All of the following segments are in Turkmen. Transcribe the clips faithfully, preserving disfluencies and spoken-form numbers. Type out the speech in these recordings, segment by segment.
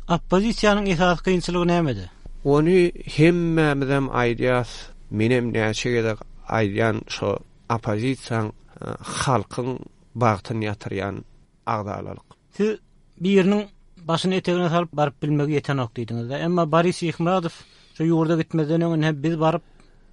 Oppozisiýanyň esasy kynçylygy nämede? Ony hemmämizem aýdýas, menem näçe gezek aýdýan şo oppozisiýaň halkyň bagtyny ýatyrýan agzalalyk. Siz biriniň başyny etegine salyp baryp bilmegi ýetenok diýdiňiz. Emma Boris Şyhmyradow şu ýurda gitmezden öň hem biz baryp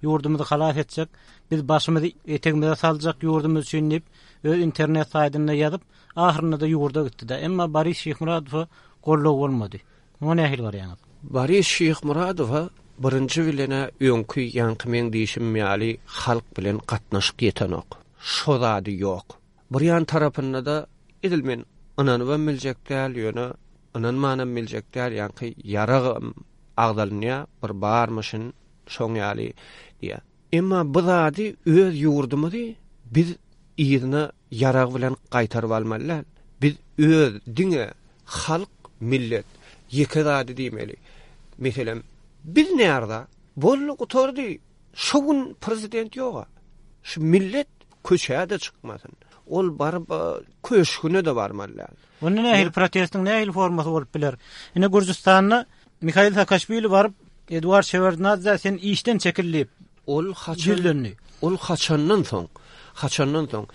ýurdumyzy halas etjek, biz başymyzy etegimize saljak ýurdumyz üçin diýip öz internet saýtynda ýazyp, ahyrynda da ýurda gitdi de. Emma Boris Şyhmyradowa goldaw bolmady. Muňa nähili garaýaňyz? Boris Şyhmyradowa birinji bilene öňki ýaňky meň diýişim ýaly halk bilen gatnaşyk ýetenok. Şo zady ýok. Bir ýan tarapynda da edil men ynanybam biljek däl, ýöne ynanmanam biljek däl, ýaňky ýaragam agdalynýa bir barmyşyn şoň ýaly diýä. Emma bu zady öz ýurdumyzy biz yzyna ýarag bilen gaýtaryp almaly däl. Biz öz diňe halk, millet ýeke zady diýmeli. Meselem, biz närde? Boldy gutardy. Şu gün prezident ýoga. Şu millet köçäde çykmasyn. Ol baryp köşgüne de barmaly däl. Onda nähili protestiň nähili formasy bolup biler? Ine Gürjüstanda Mihail Saakaşwili baryp Eduard Şewardnadze sen işden çekil diýip Ol haçan ýüzlendi. Ol haçandan soň, haçandan soň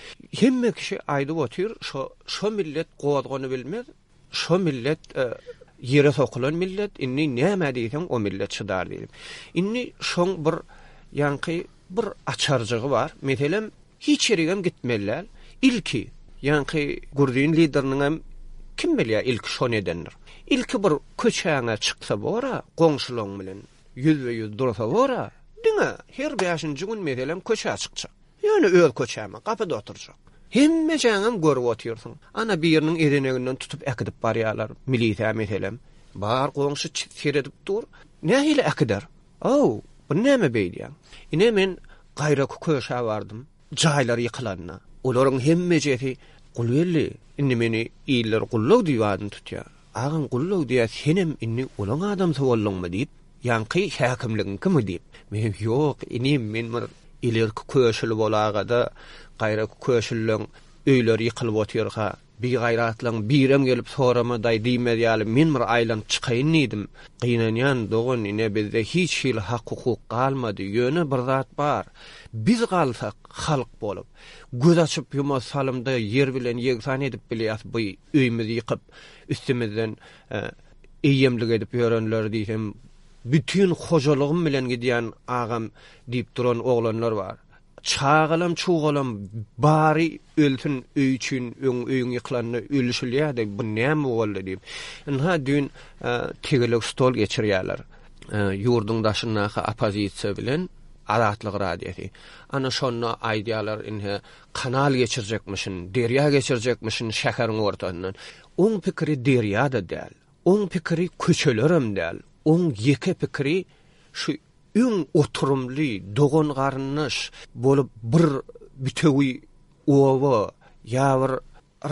hemme kişi aýdyp otyr, şo şo millet gozgany bilmez, şo millet e, ýere sokulan millet, indi näme diýseň o millet çydar diýip. Indi şoň bir ýaňky bir açarjygy bar. Meselem, hiç ýerigem gitmeli däl. Ilki ýaňky Gürjin lideriniň hem kim bilýär ilki şo nedendir. Ilki bir köçäňe çyksa bora, goňşulaň bilen ýüz we ýüz dursa bora, diňe her beşinji gün meselem köçä çykjak. Ýöne öz köçäme gapyda oturjak. Hemme jaňam görüp otyrsyň. Ana biriniň ezeneginden tutup äkidip barýarlar. Milisiýa meselem. Bar goňşy seredip dur. Nähili äkider? Aw, bu näme beýdýän? Ine men gaýraky köşä bardym. Jaýlar ýykylanda. Olaryň hemmejesi Gulgeldi. Indi meni iller gullag diýip adyny tutýar. Agam gullag diýär, senem indi olaň adamsy bolduňmy diýip, ýaňky häkimligiň kimi diýip. Men ýok, inim men bir ilerki köşüli bolagada gaýraky köşüliň öýleri ýykylyp otyrka, bir gaýratlaň birem gelip sorama daý diýmez ýaly men bir aýlanyp çykaýyn diýdim. Gynanýan dogan ine bizde hiç hili hak hukuk galmady. Ýöne bir zat bar. Biz galsak halk bolup, göz açyp ýuma salymda ýer bilen ýegsan edip bilýäs bu öýümizi ýykyp üstümizden e, eýemlik edip ýörenler diýsem, bütün hojalygym bilen gidýän agam diýip duran oglanlar bar. Çagalam çugalam bary ölsün öý üçin öň öýüň ýykylanda ölüşilýärdi. Bu näme boldy diýip. Ynha düýn e, tegelek stol geçirýärler. E, ýurduň daşyndaky oppozisiýa bilen Azatlyk radiosy. Ana şonda aýdýarlar inhe kanal geçirjekmişin, derýa geçirjekmişin şäheriň ortasyndan. Oň pikiri derýa-da däl. Oň pikiri köçelerem däl. Oň ýeke pikiri şu öň oturumly dogan garyndaş bolup bir bütewi oba ýa bir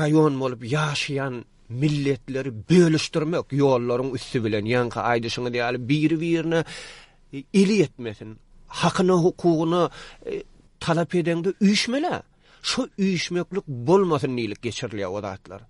raýon bolup ýaşaýan milletleri bölüşdirmek ýollaryň üsti bilen ýaňky aýdyşyňyz ýaly biri-birine eli ýetmesin. Hakyna, hukugyna e, talap edeňde üýşmeli. Şu üýşmeklik bolmasyn diýilip geçirilýär o zatlar.